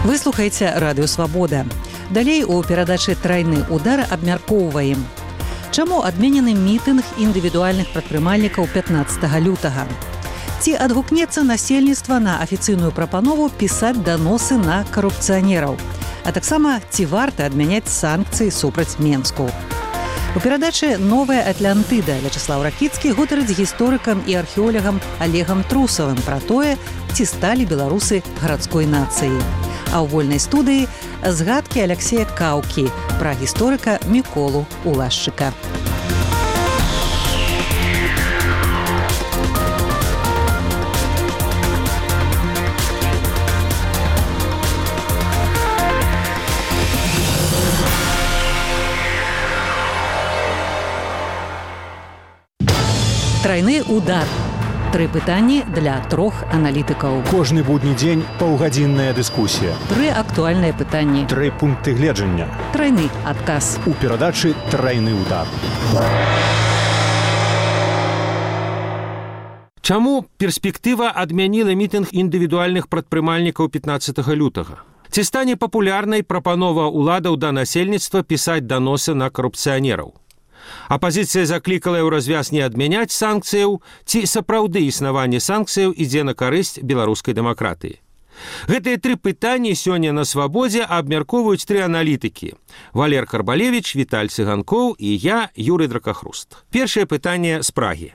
Вы слухаеце радыё Свабода. Далей у перадачы «Трайны удар» абмяркоўваем. Чаму адменены мітынг індывідуальных прадпрымальнікаў 15 лютага? Ці адгукнецца насельніцтва на афіцыйную прапанову пісаць даносы на карупцыянераў? А таксама, ці варта адмяняць санкцыі супраць Менску? У перадачы «Новая Атлантыда» Вячеслав Ракіцкі гутарыць з гісторыкам і археолагам Олегам Трусавым пра тое, ці сталі беларусы гарадской нацыяй. А ў вольнай студыі згадкі Аляксея Каўкі пра гісторыка Міколу Улашчыка. Трайны удар. 3 пытанні для 3 аналітыкаў. Кожны будні дзень паўгадзінная дыскусія. 3 актуальныя пытанні. 3 пункты гледжання. Трайны адказ. У перадачы «Трайны удар». Чаму перспектыва адмяніла мітынг індывідуальных прадпрымальнікаў 15 лютага? Ці стане папулярнай прапанова ўладаў да насельніцтва пісаць даносы на карупцыянераў? Апазіцыя заклікала ў развяз не адмяняць санкцыяў, ці сапраўды існаванне санкцыяў ідзе на карысць беларускай дэмакратыі. Гэтыя 3 пытанні сёння на Свабодзе абмяркоўваюць 3 аналітыкі: Валер Карбалевіч, Віталь Цыганкоў і я, Юрый Дракахруст. Першае пытанне з Прагі.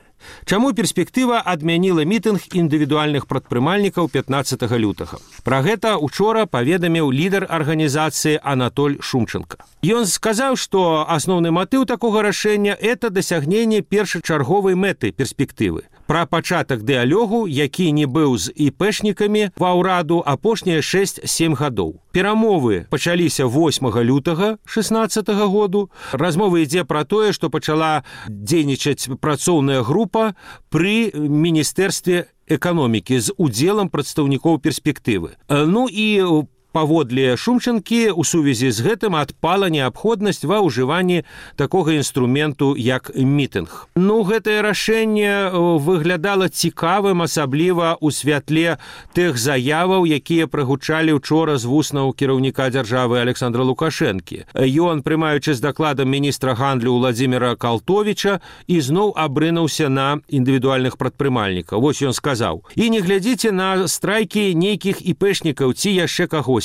Чаму перспектыва адмяніла мітынг індывідуальных прадпрымальнікаў 15 лютага? Пра гэта учора паведаміў лідар арганізацыі Анатоль Шумченко. Ён сказаў, што асноўны матыў такога рашэння – это дасягненне першачарговай мэты перспектывы. Пра пачатак дыялогу, які не быў з іпэшнікамі ва ўраду апошнія 6-7 гадоў. Перамовы пачаліся 8 лютага 16 году. Размова ідзе пра тое, што пачала дзейнічаць працоўная група пры міністэрстве эканомікі з удзелам прадстаўнікоў перспектывы. Ну і паводле Шумчанкі у сувязі з гэтым адпала неабходнасць ва ўжыванні такога інструменту, як мітынг. Ну, гэтае рашэнне выглядала цікавым, асабліва ў святле тых заяваў, якія прагучалі учора з вуснаў кіраўніка дзяржавы Александра Лукашэнкі. Ён, прымаючы з дакладам міністра гандлю Владзіміра Калтовіча, ізноў абрынуўся на індывідуальных прадпрымальнікаў. Вось ён сказаў: «І не глядзіце на страйкі нейкіх іпэшнікаў ці яшчэ кагось.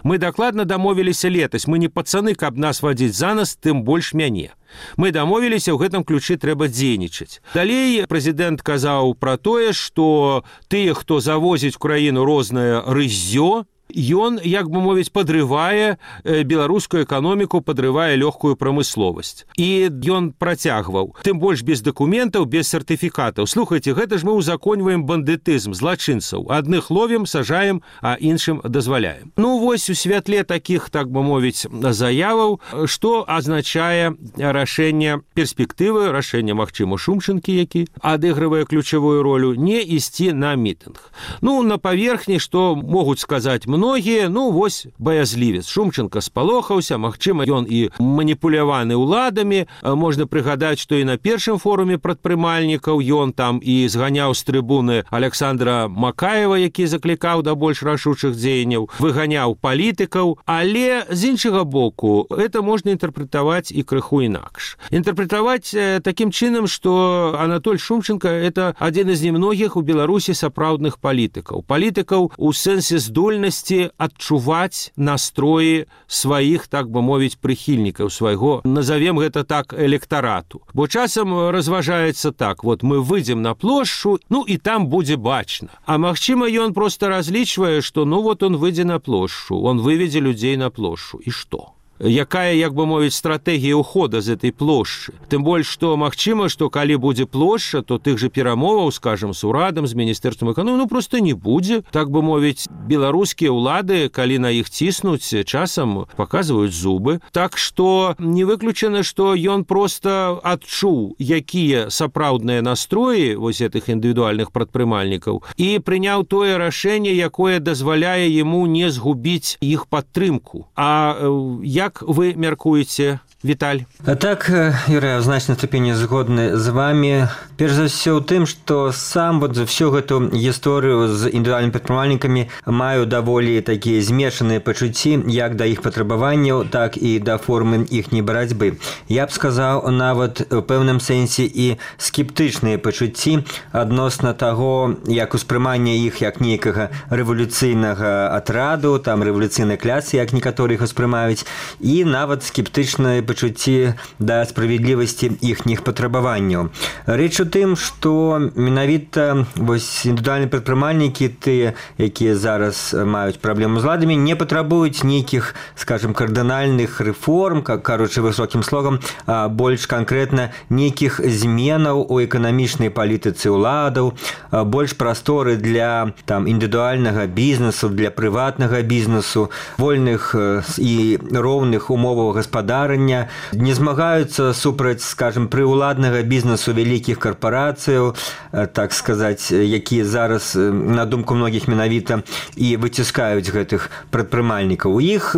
Мы дакладна дамовіліся летась, мы не пацаны, каб нас вадзіць за нас, тым больш мяне. Мы дамовіліся, ў гэтым ключы трэба дзейнічаць». Далей прэзідэнт казаў пра тое, што тыя, хто завозіць у краіну рознае рыззё, ён, як бы мовіць, падрывае беларускую эканоміку, падрывае лёгкую прамысловасць. І ён працягваў: «Тым больш без дакументаў, без сертыфікатаў. Слухайце, гэта ж мы ўзаконьваем бандытызм, злачынцаў. Адных ловім, сажаем, а іншым дазваляем». Ну, вось у святле такіх, так бы мовіць, заяваў, што азначае рашэнне перспектывы, рашэнне, магчыма, Шумчанкі, які адыгрывае ключавую ролю, не ісці на мітынг. Ну, на паверхні, што могуць сказаць многія, ну, вось баязлівец. Шумчанка спалохаўся, магчыма, ён і маніпуляваны ўладамі. Можна прыгадаць, што і на першым форуме прадпрымальнікаў ён там і зганяў з трыбуны Александра Макаева, які заклікаў да больш рашучых дзеянняў, выганяў палітыкаў, але з іншага боку, это можна інтэрпрэтаваць і крыху інакш. Інтэрпрэтаваць такім чынам, што Анатоль Шумченко – это адзін з немногіх у Беларусі сапраўдных палітыкаў. Палітыкаў у сэнсе здольнасці адчуваць настроі сваіх, так бы мовіць, прыхільнікаў, свайго, назовем гэта так, электарату. Бо часам разважаецца так: вот мы выйдзем на плошчу, ну і там будзе бачна. А магчыма, ён проста разлічвае, што ну вот он выйдзе на плошчу, он выведзе людзей на плошчу. І што? Якая, як бы мовіць, стратэгія ўхода з этой плошчы? Тым больш, што магчыма, што калі будзе плошча, то тых жа перамоваў, скажам, з урадам, з міністэрствам эканомікі, ну проста не будзе. Так бы мовіць, беларускія ўлады, калі на іх ціснуць, часам паказваюць зубы. Так што не выключана, што ён проста адчуў, якія сапраўдныя настроі вось гэтых індывідуальных прадпрымальнікаў, і прыняў тое рашэнне, якое дазваляе яму не згубіць іх падтрымку. А як вы мяркуеце, Віталь. Так, Юрий, в значной степени згодны з вами. Перш за ўсё ў тым, што сам за всю гэту гісторыю з індывідуальнымі прадпрымальнікамі маю даволі такія змешаныя пачуцці як да іх патрабаванняў, так і да формы іхняй барацьбы. Я б сказаў, нават у пэўным сэнсе і скептычныя пачуцці адносна таго, як успрыманне іх як нейкага рэвалюцыйнага атраду, там рэвалюцыйнай класы, як некаторыя іх успрымаюць, і нават скептычныя пачуцці да справядлівасці іхніх патрабаванняў. Рэч у тым, што менавіта індывідуальныя прадпрымальнікі, тыя, якія зараз маюць праблему з ладамі, не патрабуюць нейкіх, скажем, кардынальных рэформ, кажучы высокім слогам, а больш канкрэтна нейкіх зменаў у эканамічнай палітыцы ўладаў, больш прасторы для індывідуальнага бізнесу, для прыватнага бізнесу, вольных і роўных умоваў гаспадарання, не змагаюцца супраць, скажем, прыўладнага бізнесу вялікіх карпорацыяў, так сказаць, якія зараз, на думку многіх менавіта, і выціскаюць гэтых прадпрымальнікаў. У іх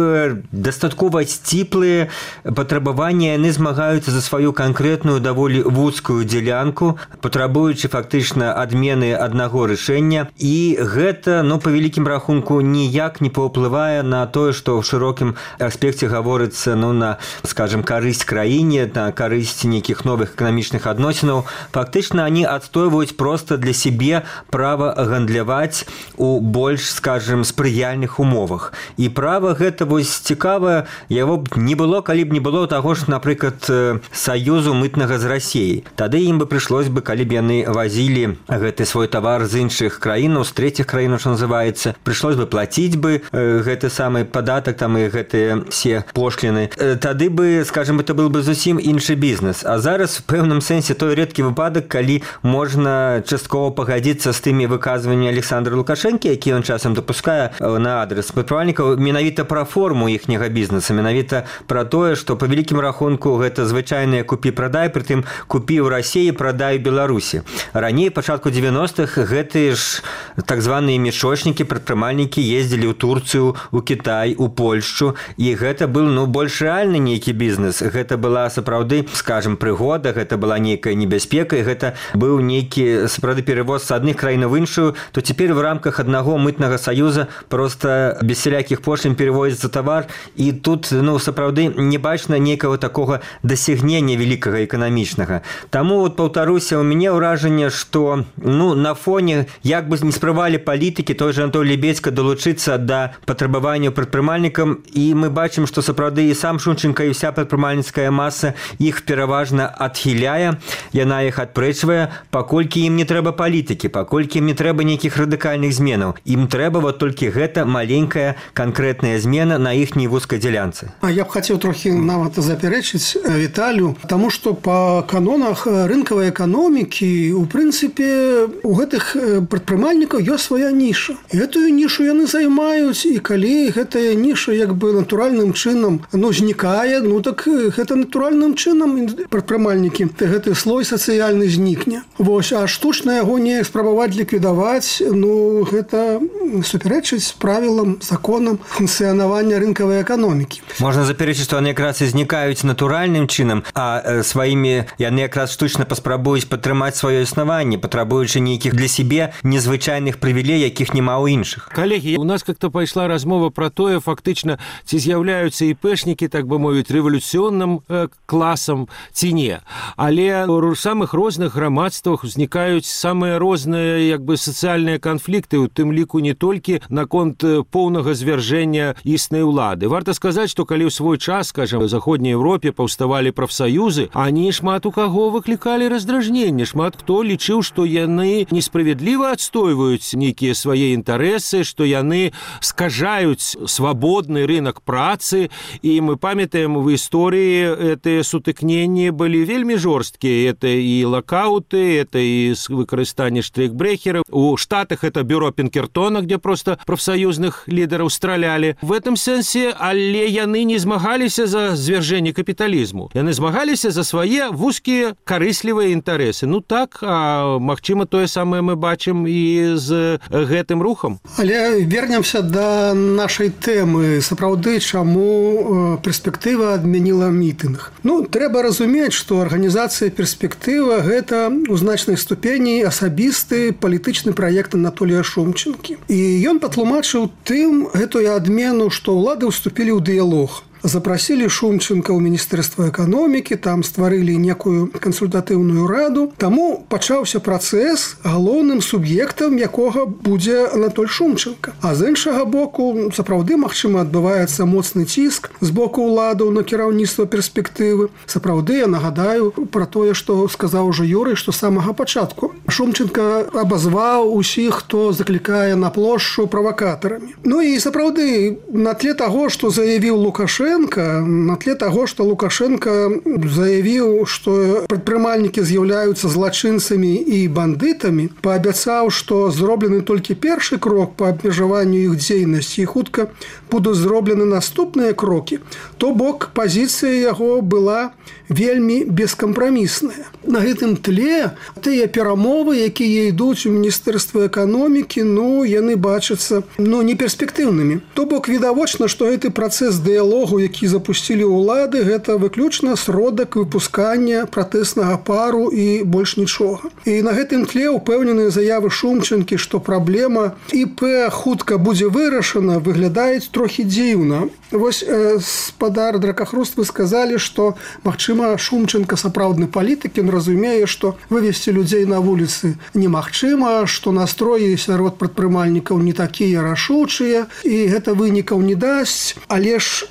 дастаткова сціплыя патрабаванні, яны змагаюцца за сваю канкрэтную даволі вузкую дзялянку, патрабуючы фактычна адмены аднаго рашэння, і гэта, па вялікім рахунку, ніяк не паўплывае на тое, што ў шырокім аспекце гаворыцца, на, скажем, карысць краіне, на карысць нейкіх новых эканамічных адносінаў. Фактычна, они адстойваюць проста для сябе права гандляваць у больш, скажем, спрыяльных умовах. І права гэта цікавае, яго б не было, калі б не было таго ж, напрыклад, саюзу мытнага з Расіяй. Тады ім бы прыйшлось бы, калі б яны вазілі гэты свой тавар з іншых краінаў, з трэціх краінаў, што называецца, прыйшлось бы плаціць бы гэты самы падатак і гэтыя все пошліны. Тады бы, скажем, это был бы зусім іншы бізнес. А зараз, в пэўным сэнсе, той рэдкі выпадак, калі можна часткова пагадзіцца з тымі выказваннямі Александра Лукашэнкі, які ён часам дапускае на адрес прадпрымальнікаў, менавіта пра форму іхняга бізнеса, менавіта пра тое, што па вялікім рахунку гэта звычайныя купі-прадай, прытым купі ў Расіі, прадай у Беларусі. Раней, пачатку 90-х, гэтыя ж так званыя мешочнікі, прадпрымальнікі ездзілі ў Турцыю, у Кітай, у Польшчу, і гэта был, больш рэальны нейкі бізнес. Гэта была сапраўды, скажем, прыгода, гэта была нейкая небяспека, і гэта быў нейкі сапраўды перавоз з адных краін в іншую, то цяпер в рамках аднаго мытнага саюза просто без всялякіх пошлін перевозіцца тавар, і тут, сапраўды не бачна нейкага такога дасягнення вялікага эканамічнага. Таму, паўтаруся, у мяне ўражанне, што, на фоне, як бы не спрабавалі палітыкі, той же Антон Лебедзька далучыцца да патрабаванняў прадпрымальнікам, і мы бачым, што сапраўды і сам Шунченка, і вся прадпрымальніцкая маса іх пераважна адхіляе, яна іх адпрэчвае, паколькі ім не трэба палітыкі, паколькі ім не трэба нейкіх радыкальных зменаў. Ім трэба толькі гэта маленькая канкрэтная змена на іхняй вузкай дзялянцы. А я б хацеў трохі нават запярэчыць Віталю, таму што па канонах рынкавай эканомікі, у прынцыпе, у гэтых прадпрымальнікаў ёсць свая ніша. Гэтую нішу яны займаюць, і калі гэтая ніша як бы натуральным чынам знікае, так гэта натуральным чынам прадпрымальнікі гэты слой сацыяльны знікне. А штучна яго не спрабаваць ліквідаваць, гэта супярэчыць правілам, законам функцыянавання рынкавай эканомікі. Можна запярэчыць, што яны якраз і знікаюць натуральным чынам, а сваімі яны якраз штучна паспрабуюць падтрымаць сваё існаванне, патрабуючы нейкіх для сябе незвычайных прывілей, якіх няма ў іншых. Калегі, у нас как-то пайшла размова пра тое, фактычна, ці з'яўляюцца іпэшнікі, так бы мовіць, рэвалюцыйным класам ці не. Але у самых розных грамадствах узнікаюць самыя розныя сацыяльныя канфлікты, у тым ліку не толькі наконт поўнага звяржэння існай улады. Варта сказаць, што калі ў свой час, скажем, у Заходняй Европе паўставалі прафсаюзы, они шмат у каго выклікалі раздражненне, шмат хто лічыў, што яны несправядліва адстойваюць нейкія свае інтарэсы, што яны скажаюць свабодны рынок працы, і мы памятаем в истории гэтыя сутыкненні былі вельмі жорсткія. Это і лакауты, это і выкарыстанне штрейкбрехераў. У Штатах это бюро Пінкертона, где просто прафсаюзных лідараў стралялі. В этом сэнсе, але яны не змагаліся за звяржэнне капіталізму. Яны змагаліся за свае вузкія карыслівыя інтарэсы. Так, а магчыма, тое самае мы бачым і з гэтым рухам. Але вернемся да нашай тэмы. Сапраўды, чаму перспектыва адмяніла мітынг. Трэба разумець, што арганізацыя «Перспектыва» – гэта ў значнай ступені асабісты палітычны праект Анатолія Шумчэнкі. І ён патлумачыў тым гэтую адмену, што ўлады ўступілі ў дыялог. Запросили Шумченко ў Міністэрства эканомікі, там стварылі некую кансультатыўную раду. Таму пачаўся працэс, галоўным суб'ектам якога будзе Анатоль Шумченко. А з іншага боку, сапраўды, магчыма, адбываецца моцны ціск з боку ўладаў на кіраўніцтва «Перспектывы». Сапраўды, я нагадаю пра тое, што сказаў ужо Юрый, што з самага пачатку Шумченко абазваў усіх, хто заклікае на плошчу правакатарамі. І сапраўды, на тле таго, што заявіў Лукашенко, на тле таго, што Лукашенко заявіў, што прадпрымальнікі з'яўляюцца злачынцамі і бандытамі, паабяцаў, што зроблены толькі першы крок па абмежаванню іх дзейнасці і хутка будуць зроблены наступныя крокі, то бок пазіцыя яго была вельмі бескампрамісная. На гэтым тле тыя перамовы, якія ідуць у Міністэрстве эканомікі, яны бачацца неперспектыўнымі. То бок відавочна, што гэты працэс дыялогу, які запусцілі ўлады, гэта выключна сродак выпускання пратэснага пару і больш нічога. І на гэтым тле ўпэўненыя заявы Шумчэнкі, што праблема ІП хутка будзе вырашана, выглядаюць трохі дзіўна. Вось спадар Дракахруст, вы сказалі, што, магчыма, Шумчэнка сапраўдны палітык, ён разумее, што вывесці людзей на вуліцы немагчыма, што настроі сярод прадпрымальнікаў не такія рашучыя, і гэта вынікаў не дасць, але ж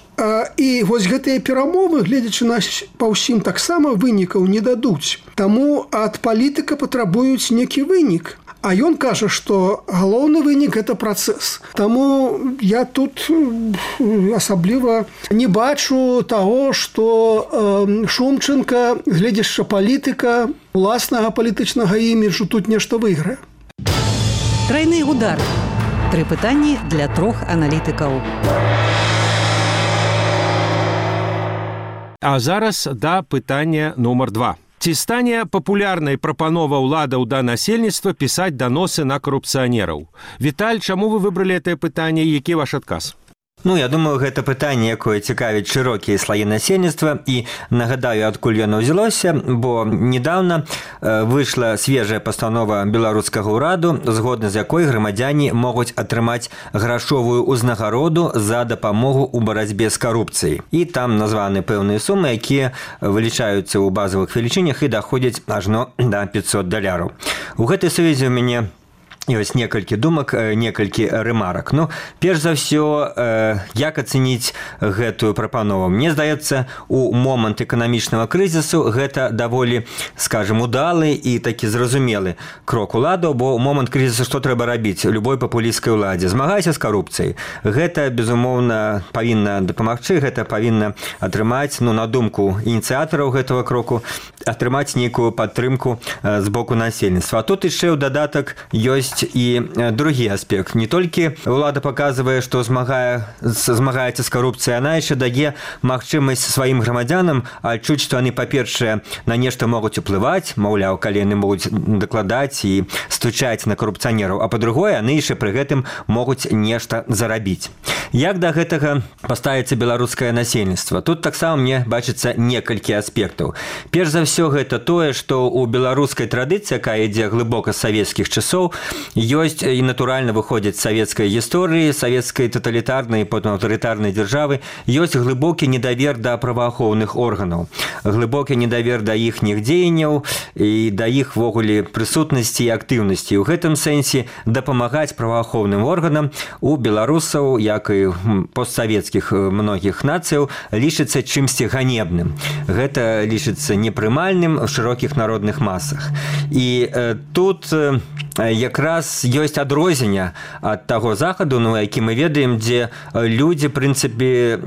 і вось гэтыя перамовы, гледзячы на па ўсім, таксама вынікаў не дадуць. Таму ад палітыка патрабуюць некі вынік. А ён кажа, што галоўны вынік – гэта працэс. Таму я тут асабліва не бачу таго, што Шумчэнка, гледзячы палітыка, уласнага палітычнага іміджу тут нешта выйграе. Трайны удар. 3 пытанні для 3 аналітыкаў. А зараз да пытання нумар 2. Ці стане папулярнай прапанова ўладаў да насельніцтва пісаць даносы на карупцыянераў? Віталь, чаму вы выбралі гэтае пытанне і які ваш адказ? Я думаю, гэта пытанне, якое цікавіць шырокія слаі насельніцтва, і нагадаю, адкуль яно ўзялося, бо недавно выйшла свежая пастанова беларускага ўраду, згодна з якой грамадзяне могуць атрымаць грашовую ўзнагароду за дапамогу ў барацьбе з карупцыяй. І там названы пэўныя сумы, якія вылічаюцца ў базавых велічынях і даходзяць ажно да $500. У гэтай сувязі у мяне ёсць некалькі думак, некалькі рэмарак. Перш за ўсё, як ацэніць гэтую прапанову? Мне здаецца, у момант эканамічнага крызісу гэта даволі, скажем, удалы і такі зразумелы крок уладаў, бо ў момант крызісу што трэба рабіць любой папулісцкай уладзе? Змагайся з карупцыяй. Гэта, безумоўна, павінна дапамагчы, гэта павінна атрымаць, на думку ініцыятараў гэтага кроку, атрымаць нейкую падтрымку з боку насельніцтва. А тут яшчэ ў дадатак ёсць і другі аспект. Не толькі ўлада паказвае, што змагаецца з карупцыяй, яна яшчэ дае магчымасць сваім грамадзянам адчуць, што яны, па-першае, на нешта могуць уплываць, маўляў, калі яны могуць дакладаць і стучаць на карупцыянераў, а па-другое, яны яшчэ пры гэтым могуць нешта зарабіць. Як да гэтага паставіцца беларускае насельніцтва? Тут таксама мне бачыцца некалькі аспектаў. Перш за ўсё, гэта тое, што ў беларускай традыцыі, якая ідзе глыбока з савецкіх часоў, ёсць і натуральна выходзіць з савецкай гісторыі, савецкай таталітарнай, потым аўтарытарнай дзяржавы, ёсць глыбокі недавер да праваахоўных органаў, глыбокі недавер да іхніх дзеянняў і да іх ввогуле прысутнасці і актыўнасці. У гэтым сэнсе дапамагаць праваахоўным органам у беларусаў, як і постсавецкіх многіх нацыяў, лічыцца чымсьці ганебным. Гэта лічыцца непрымальным в шырокіх народных масах. І тут якраз ёсць адрозненне ад таго захаду, які мы ведаем, дзе людзі, в прынцыпе,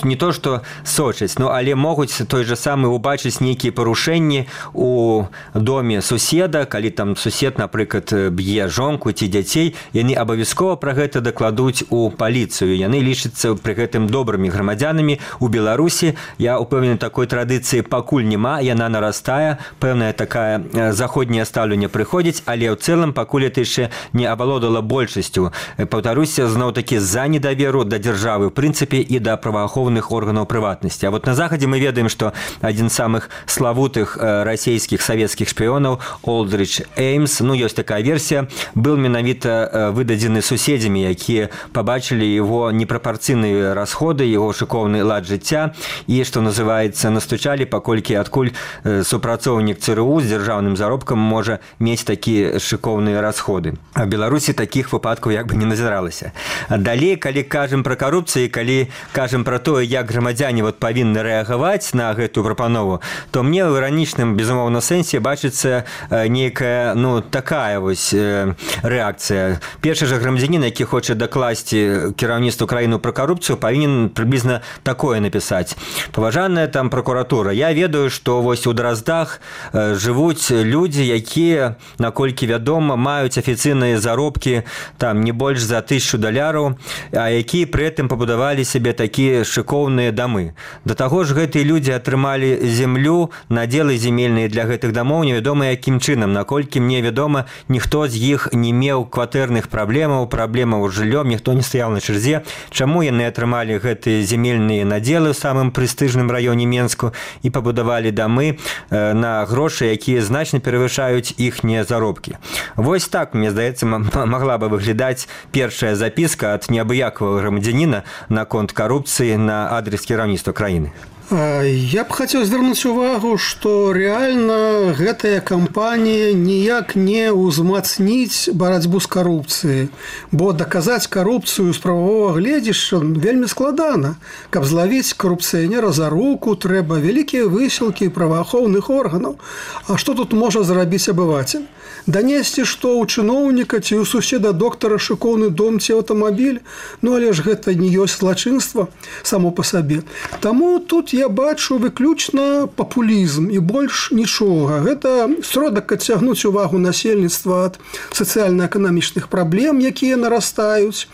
не то што сочаць, але могуць той же самы убачыць нейкія парушэнні у доме суседа, калі там сусед, напрыклад, б'е жонку ці дзяцей, яны абавязкова пра гэта дакладуць у паліцыю. Яны лічацца пры гэтым добрымі грамадзянамі. У Беларусі, я ўпэўнены, такой традыцыі пакуль няма, яна нарастае, пэўнае такая заходняе стаўленне прыходзіць, але ў цэлым пакуль это яшчэ не авалодала большасцю. Паўтаруся, зноў-такі з-за недаверу да дзяржавы ў прынцыпе і да праваахоўных органаў прыватнасці. А вот на захадзе мы ведаем, што адзін з самых славутых расійскіх савецкіх шпіёнаў Олдрыч Эймс, ёсць такая версія, был менавіта выдадзены суседзямі, якія пабачылі яго непрапарцыйныя расходы, яго шыкоўны лад жыцця і, што называецца, настучалі, паколькі адкуль супрацоўнік ЦРУ з дзяржаўным заробкам можа мець такія шыкоўныя расходы. А в Беларусі такіх выпадкаў як бы не назіралася. Далей, калі кажам пра карупцыю, калі кажам пра тое, як грамадзяне павінны рэагаваць на гэтую прапанову, то мне ў іранічным, безумоўна, сэнсе бачыцца нейкая, такая вось рэакцыя. Першы жа грамадзянін, які хоча дакласці кіраўніцтву краіны пра карупцыю, павінен прыблізна такое напісаць. Паважаная там прокуратура, я ведаю, што вось у Драздах жывуць людзі, якія, наколькі вядома, маюць афіцыйныя заробкі там не больш за $1000, а якія пры гэтым пабудавалі сябе такія шыкоўныя дамы. Да таго ж гэтыя людзі атрымалі землю, надзелы земельныя для гэтых дамоў, невядома якім чынам. Наколькі мне вядома, ніхто з іх не меў кватэрных праблемаў з жыллём, ніхто не стаяў на чарзе. Чаму яны атрымалі гэтыя земельныя надзелы ў самым прэстыжным раёне Менску і пабудавалі дамы на грошы, якія значна перавышаюць іхнія заробкі. Вось так, мне здаецца, магла бы выглядаць першая запіска ад неабыякавага грамадзяніна наконт карупцыі на адрес кіраўніцтва краіны. Я б хацеў звярнуць увагу, што рэальна гэтая кампанія ніяк не ўзмацніць барацьбу з карупцыяй, бо даказаць карупцыю з прававога гледзяшча вельмі складана. Каб злавіць карупцыянера за руку, трэба вялікія высілкі праваахоўных органаў. А што тут можа зрабіць абывацель? Данесці, што ў чыноўніка ці ў суседа доктара шыкоўны дом ці аўтамабіль, але ж гэта не ёсць злачынства само па сабе. Таму тут я бачу выключна папулізм і больш нічога. Гэта сродак адцягнуць увагу насельніцтва ад сацыяльна-эканамічных праблем, якія нарастаюць.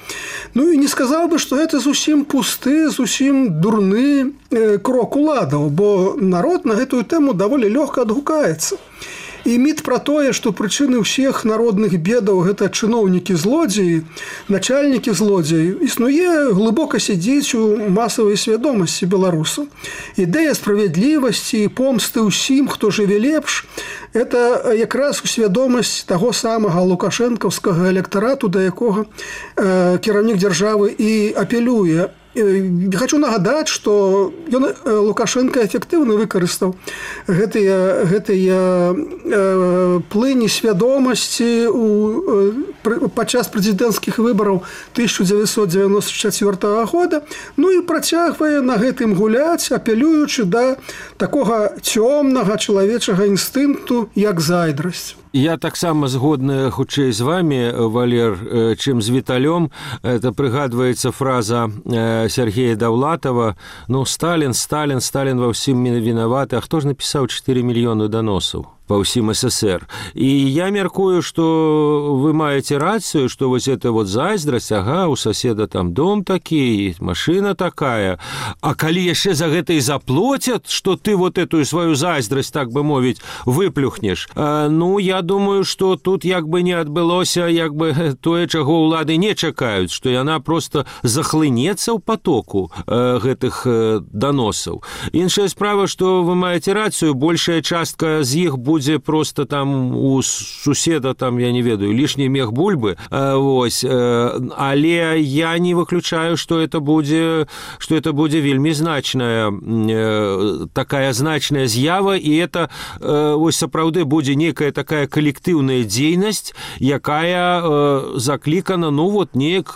І не сказаў бы, што гэта зусім пусты, зусім дурны крок уладаў, бо народ на гэтую тэму даволі лёгка адгукаецца. І міт пра тое, што прычыны ўсіх народных бедаў гэта чыноўнікі-злодзеі, начальнікі-злодзеі, існуе глыбока сядзіць у масавай свядомасці беларусаў. Ідэя справядлівасці і помсты ўсім, хто жыве лепш, это якраз свядомасць таго самага лукашэнкаўскага электарату, да якога кіраўнік дзяржавы і апелюе. Хочу нагадаць, што Лукашенко эфектыўна выкарыстаў гэтыя плыні свядомасці падчас прэзідэнцкіх выбараў 1994 года, і працягвае на гэтым гуляць, апелюючы да такога цёмнага чалавечага інстынкту, як зайздрасць. Я таксама згодны хутчэй з вами, Валер, чым з Віталём. Это прыгадваецца фраза Сергея Даўлатова: Сталін ва ўсім вінаваты, а хто ж напісаў 4 мільёны даносаў по ўсім СССР. І я мяркую, што вы маеце рацыю, што вось это вот зайздрасць, у соседа там дом такі, машина такая, а калі яшчэ за гэта і заплоцят, што ты вот эту сваю зайздрасць, так бы мовіць, выплюхнеш. Я думаю, што тут як бы не адбылося тое, чаго ўлады не чакаюць, што яна просто захлынецца ў потоку гэтых даносаў. Іншая справа, што вы маеце рацыю, большая частка з іх будзе просто там у суседа, там, я не ведаю, лішні мех бульбы, але я не выключаю, што это будзе вельмі значная, такая значная з'ява, і это сапраўды будзе некая такая калектыўная дзейнасць, якая заклікана, неяк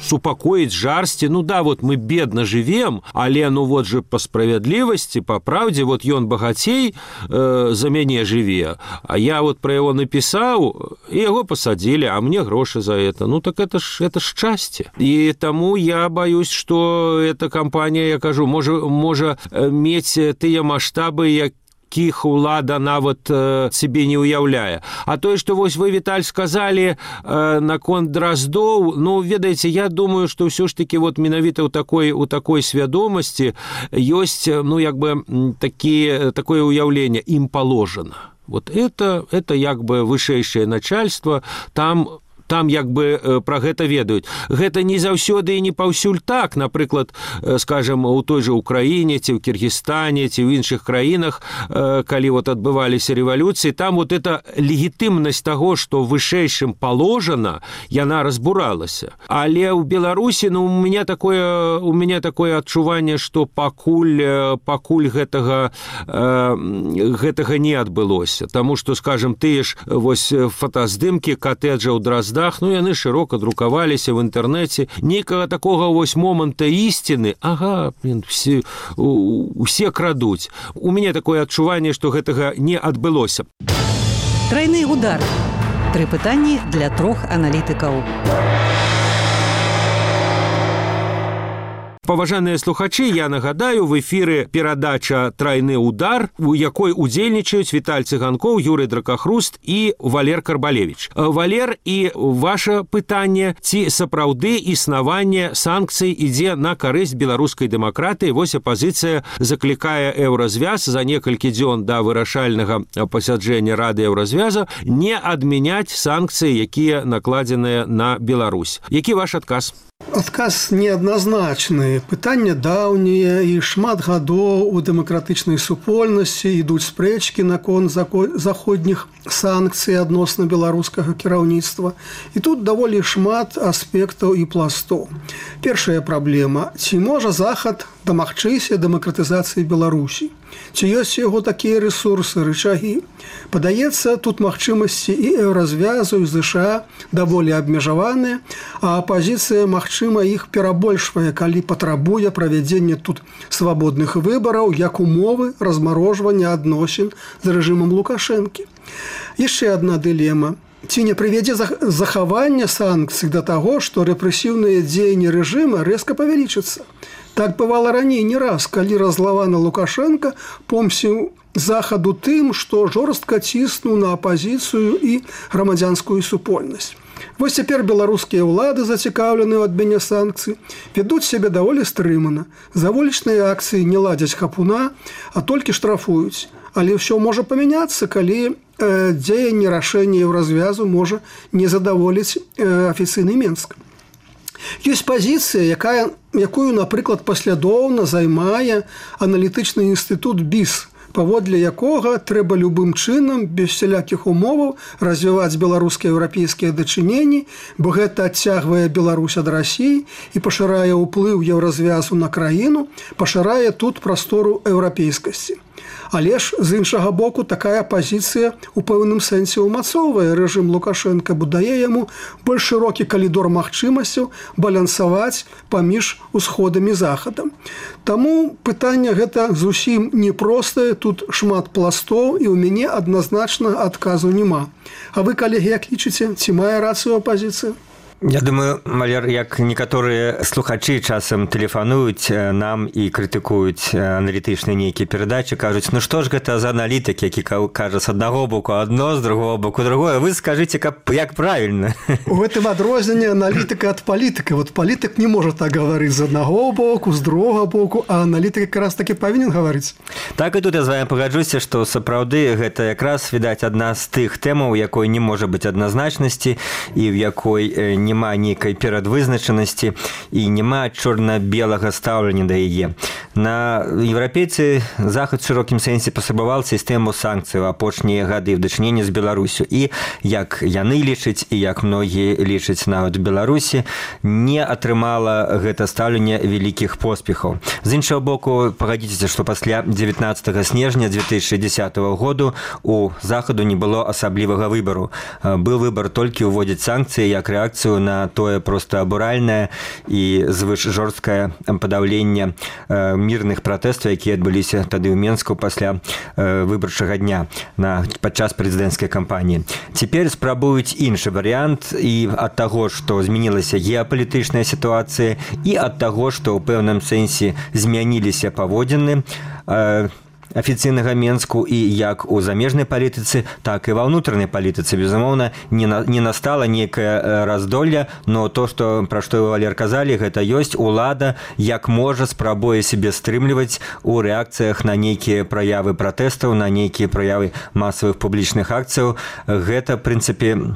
супакоіць жарсці. Мы бедна жывем, але же па справядлівасці, па праўдзе, ён багацей за мяне жыве, а я пра яго напісаў, і яго пасадзілі, а мне грошы за это. Так это ж шчасце. І таму я баюсь, што эта кампанія, я кажу, можа мець тыя маштабы, якіх улада нават себе не уяўляе. А тое, што вы, Віталь, сказалі наконт Драздоў, ведаеце, я думаю, што ўсё ж такі менавіта ў такой свядомасці ёсць, такое ўяўленне, ім положено. Вот это як бы вышэйшае начальство, там як бы пра гэта ведаюць. Гэта не заўсёды і не паўсюль так. Напрыклад, скажем, у той же Украіне, ці ў Кіргізстане, ці ў іншых краінах, калі вот адбываліся рэвалюцыі, там вот эта легітымнасць таго, што вышэйшым положана, яна разбуралася. Але ў Беларусі, у меня такое адчуванне, што пакуль гэтага не адбылося. Таму што, скажем, тыя ж вось фотаздымкі катэджа ў Драздах, яны шырока друкаваліся в інтэрнэце. Нейкага такога вось моманта ісціны, усе крадуць. У мяне такое адчуванне, што гэтага не адбылося. Трайны удар. 3 пытанні для 3 аналітыкаў. Паважаныя слухачы, я нагадаю, в эфіры перадача «Трайны удар», у якой удзельнічаюць Віталь Цыганкоў, Юрый Дракахруст і Валер Карбалевіч. Валер, і ваша пытанне, ці сапраўды існаванне санкцый ідзе на карысць беларускай дэмакратыі? Вось апазіцыя заклікае Еўразвяз за некалькі дзён да вырашальнага пасяджэння Рады Еўразвяза не адмяняць санкцыі, якія накладзеныя на Беларусь. Які ваш адказ? Адказ неадназначны. Пытанне даўнія, і шмат гадоў у дэмакратычнай супольнасці ідуць спрэчкі наконт заходніх санкцый адносна беларускага кіраўніцтва. І тут даволі шмат аспектаў і пластоў. Першая праблема. Ці можа Захад дамагчыся дэмакратызацыі Беларусі? Ці ёсць яго такія рэсурсы, рычагі? Падаецца, тут магчымасці і Еўразвязу, і ЗША даволі абмежаваныя, а апазіцыя, магчыма, іх перабольшвае, калі патрабуе правядзення тут свабодных выбараў як умовы размарожвання адносін з рэжымам Лукашэнкі. Яшчэ адна дылема. Ці не прывядзе захавання санкцый да таго, што рэпрэсіўныя дзеянні рэжыма рэзка павялічацца? Так бывала раней не раз, калі раззлаваны Лукашенко помсціў Захаду тым, што жорстка ціснуў на апазіцыю і грамадзянскую супольнасць. Вось цяпер беларускія ўлады, зацікаўленыя ў адмене санкцый, вядуць сябе даволі стрымана. За вулічныя акцыі не ладзяць хапуна, а толькі штрафуюць. Але ўсё можа памяняцца, калі дзеянне рашэння Еўразвязу можа не задаволіць афіцыйны Менск. Ёсць пазіцыя, якую, напрыклад, паслядоўна займае аналітычны інстытут БІС, паводле якога трэба любым чынам, без всялякіх умоваў, развіваць беларускія еўрапейскія дачыненні, бо гэта адцягвае Беларусь ад Расіі і пашырае ўплыў Еўразвязу на краіну, пашырае тут прастору еўрапейскасці. Але ж, з іншага боку, такая пазіцыя у пэўным сэнсе ўмацоўвае рэжым Лукашэнка, бо дае яму больш шырокі калідор магчымасцяў балансаваць паміж усходам і захадам. Таму пытанне гэта зусім непростае, тут шмат пластоў, і ў мяне адназначна адказу няма. А вы, калегі, як лічыце, ці мае рацыю апазіцыя? Я думаю, Валер, як некаторыя слухачы часам тэлефануюць нам і крытыкуюць аналітычныя нейкія перадачы, кажуць, ну што ж гэта за аналітык, які кажа з аднаго боку адно, з другого боку другое. Вы скажыце, як правільна. У гэтым адрозненне аналітыка ад палітыка. Вот палітык не можа так гаварыць з аднаго боку, з другога боку, а аналітык якраз такі павінен гаварыць. Так і тут я з вами пагаджуся, што сапраўды гэта якраз, відаць, адна з тых тэмаў, якой не можа быць адназначнасці і в якой няма нейкай перадвызначанасці і няма чорна-белага стаўлення да яе. На еўрапейцы Захад в шырокім сэнсе паспрабаваў сістэму санкцый у апошнія гады ў дачыненні з Беларусю. І як яны лічаць, і як многія лічаць нават у Беларусі, не атрымала гэта стаўленне вялікіх поспехаў. З іншага боку, пагадзіцеся, што пасля 19 снежня 2010 году у Захаду не было асаблівага выбару. Быў выбар толькі ўводзіць санкцыі як рэакцыю на тое проста абуральнае і звыш жорсткае падаўленне мірных пратэстаў, якія адбыліся тады ў Менску пасля выбарчага дня падчас прэзідэнцкай кампаніі. Цяпер спрабуюць іншы варыянт і ад таго, што змянілася геапалітычная сітуацыя, і ад таго, што ў пэўным сэнсе змяніліся паводзіны афіцыйнага Менску і як у замежнай палітыцы, так і ва ўнутранай палітыцы. Безумоўна, не настала нейкае раздолле, но то, пра што вы, Валер, казалі, гэта ёсць улада, як можа спрабуе сябе стрымліваць у рэакцыях на нейкія праявы пратэстаў, на нейкія праявы масавых публічных акцыяў. Гэта, в прынцыпе,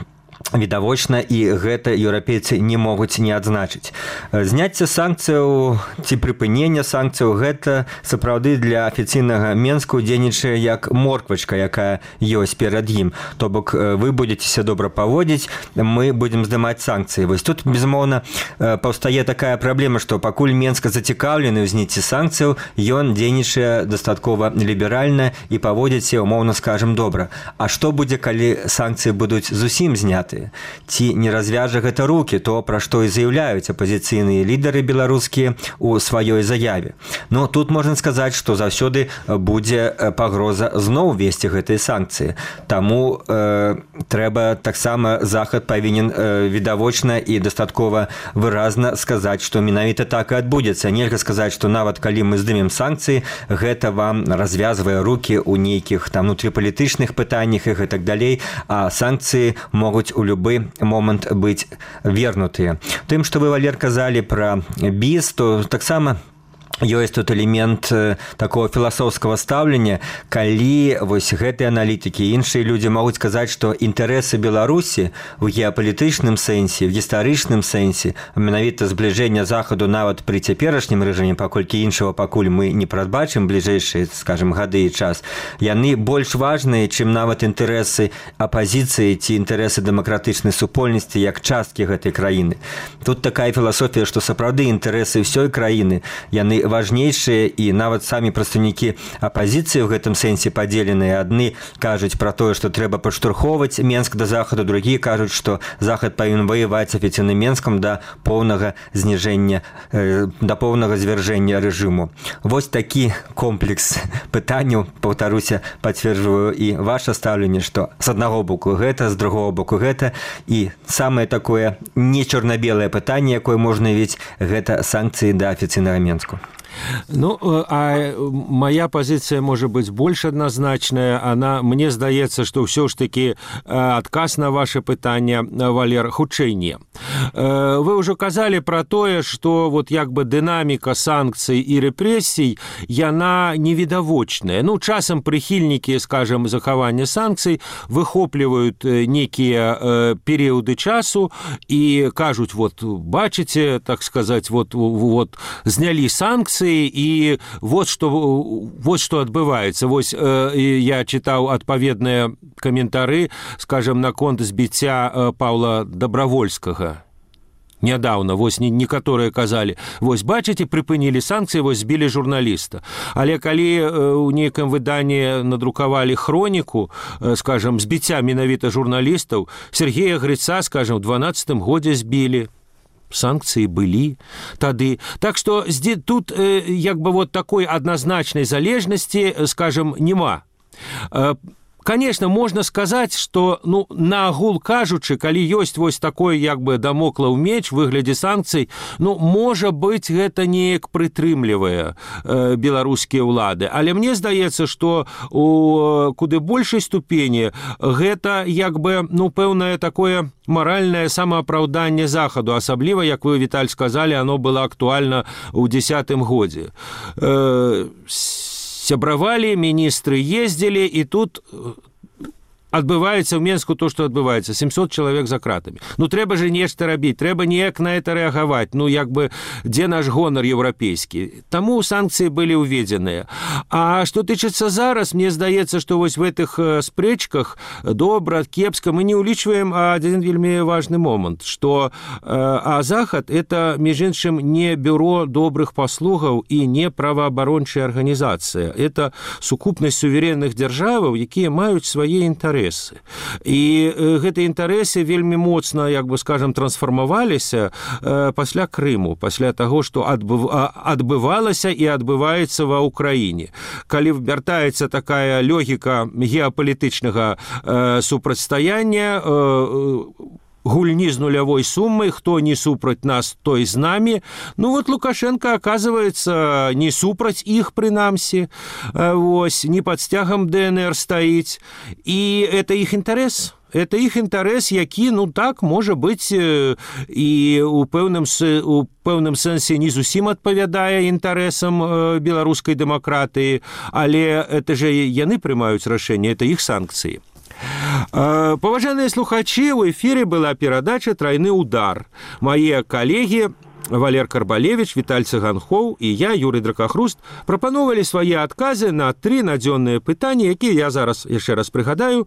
відавочна, і гэта еўрапейцы не могуць не адзначыць. Зняцце санкцыяў ці прыпынення санкцыяў гэта сапраўды для афіцыйнага Менску дзейнічае як морквачка, якая ёсць перад ім. То бок вы будзеце добра паводзіць, мы будзем здымаць санкцыі. Вось тут, безумоўна, паўстае такая праблема, што пакуль Менска зацікаўлены ў зніцці санкцыяў, ён дзейнічае дастаткова ліберальна і паводзіць, умоўна скажам, добра. А што будзе, калі санкцыі будуць зусім зняты? Ці не развяжа гэта рукі, то, пра што і заяўляюць апазіцыйныя лідары беларускія ў сваёй заяве. Но тут можна сказаць, што заўсёды будзе пагроза зноў весці гэтыя санкцыі. Таму трэба таксама Захад павінен відавочна і дастаткова выразна сказаць, што менавіта так і адбудзецца. Нельга сказаць, што нават калі мы здымем санкцыі, гэта вам развязвае рукі ў нейкіх там внутрыпалітычных пытаннях і гэтак далей, а санкцыі могуць у любы момант быць вернутыя. Тым, што вы, Валер, казалі пра біз, то таксама ёсць тут элемент такого філасофскага стаўлення, калі вось гэтыя аналітыкі і іншыя людзі могуць сказаць, што інтарэсы Беларусі ў геапалітычным сэнсе, в гістарычным сэнсе, менавіта збліжэння Захаду нават пры цяперашнім рэжыме, паколькі іншага пакуль мы не прадбачым бліжэйшыя, скажем, гады і час, яны больш важныя, чым нават інтарэсы апазіцыі ці інтарэсы дэмакратычнай супольнасці як часткі гэтай краіны. Тут такая філасофія, што сапраўды інтарэсы ўсёй краіны, яны важнейшыя, і нават самі прадстаўнікі апазіцыі ў гэтым сэнсе падзеленыя. Адны кажуць пра тое, што трэба падштурхоўваць Менск да Захаду, другія кажуць, што Захад павінен ваяваць з афіцыйным Менскам да поўнага зніжэння, да поўнага звяржэння рэжыму. Вось такі комплекс пытанняў, паўтаруся, пацверджваю і ваша стаўленне, што з аднаго боку гэта, з другого боку гэта, і самае такое не чорна-белае пытанне, якое можна віць, гэта санкцыі да афіцыйнага Менску. Ну, а моя позиция может быть больше однозначная. Мне здаецца, что все ж таки адказ на ваше пытанне, Валер, хутчэй не. Вы уже казали про тое, что вот як бы дынаміка санкцый и репрессий, яна невідавочная. Ну, часам прихильники, скажем, захавання санкцый выхопліваюць некие периоды часу и кажуць, вот, бачите, так сказать, вот знялі санкции, и вот что адбываецца. Вось я читаў адпаведныя каментары, скажем, наконт збіцця Паўла Добравольскага. Нядаўна, вось некаторыя казалі, вось бачыце, прыпынілі санкцыі, вось збілі журналіста. Але калі ў нейкім выданні надрукавалі хроніку, скажем, збіцця менавіта журналістаў, Сергея Грыца, скажем, в 12-м годзе збілі. Санкции были тады. Так что тут як бы вот такой однозначной залежности, скажем, нема. Конечно, можно сказать, что, ну, на агул кажучы, калі ёсць вось такой, як бы, дамоклаў меч в выглядзе санкцый, ну, можа быць, гэта неяк прытрымлівае беларускія ўлады. Але мне здаецца, што у куды большай ступені гэта, як бы, ну, пэўнае такое маральнае самаапраўданне Захаду, асабліва, як вы, Віталь, сказалі, оно было актуальна ў 10-м годзе. Сябравалі, міністры ездзілі, і тут адбываецца ў Менску то, што адбываецца. 700 чалавек за кратамі. Ну, трэба же нешта рабіць, трэба неяк на это рэагаваць. Ну, як бы, дзе наш гонар еўрапейскі? Таму санкцыі былі ўведзеныя. А што тычыцца зараз, мне здаецца, што вось в этих спрэчках добра, кепска мы не ўлічваем адзін вельмі важны момант, што Захад — это, між іншым, не бюро добрых паслугаў і не праваабарончая арганізацыя. Это сукупнасць суверэнных дзяржаваў, якія маюць свае інтарэсы. І гэтыя інтарэсы вельмі моцна, як бы, скажем, трансфармаваліся пасля Крыму, пасля таго, што адбывалася і адбываецца ва ўкраіне. Калі вяртаецца такая логіка геапалітычнага супрацьстаяння, гульни з нулявой суммой, кто не супраць нас, той з нами. Ну вот Лукашенко, оказывается, не супраць іх прынамсі, вось, не под стягам ДНР стаіць. І это іх інтарэс. Это іх інтарэс, які, ну так, можа быць, і у пэўным сэнсе не зусім адпавядае інтарэсам беларускай дэмакратыі, але это же яны прымаюць рашэнне, это іх санкцыі. Паважаныя слухачы, у эфире была перадача «Тройны удар». Мои коллеги Валер Карбалевич, Віталь Цыганхоў і я, Юрый Дракахруст, прапановалі свае адказы на 3 надзённыя пытанні, якія я зараз яшчэ раз прыгадаю.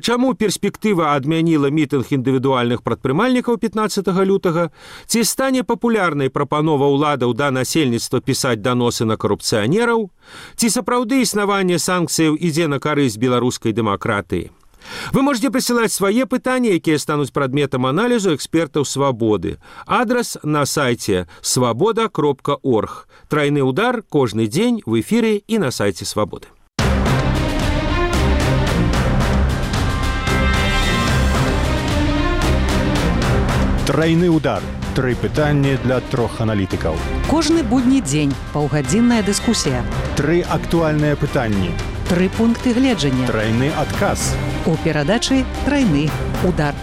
Чаму перспектыва адмяніла мітынг індывідуальных прадпрымальнікаў 15 лютага? Ці стане папулярнай прапанова ўладаў да насельніцтва пісаць даносы на карупцыянераў? Ці сапраўды існаванне санкцыяў ідзе на карысць беларускай дэмакратыі? Вы можете присылать свои пытания, якія станут предметом анализу экспертов «Свободы». Адрес на сайте svoboda.org. Тройный удар каждый день в эфире и на сайте «Свободы». Тройны удар. 3 пытанні для 3 аналітыкаў. Кожны будні дзень паўгадзінная дыскусія. 3 актуальныя пытанні. 3 пункты гледжання. Тройны адказ. У перадачы «Тройны удар».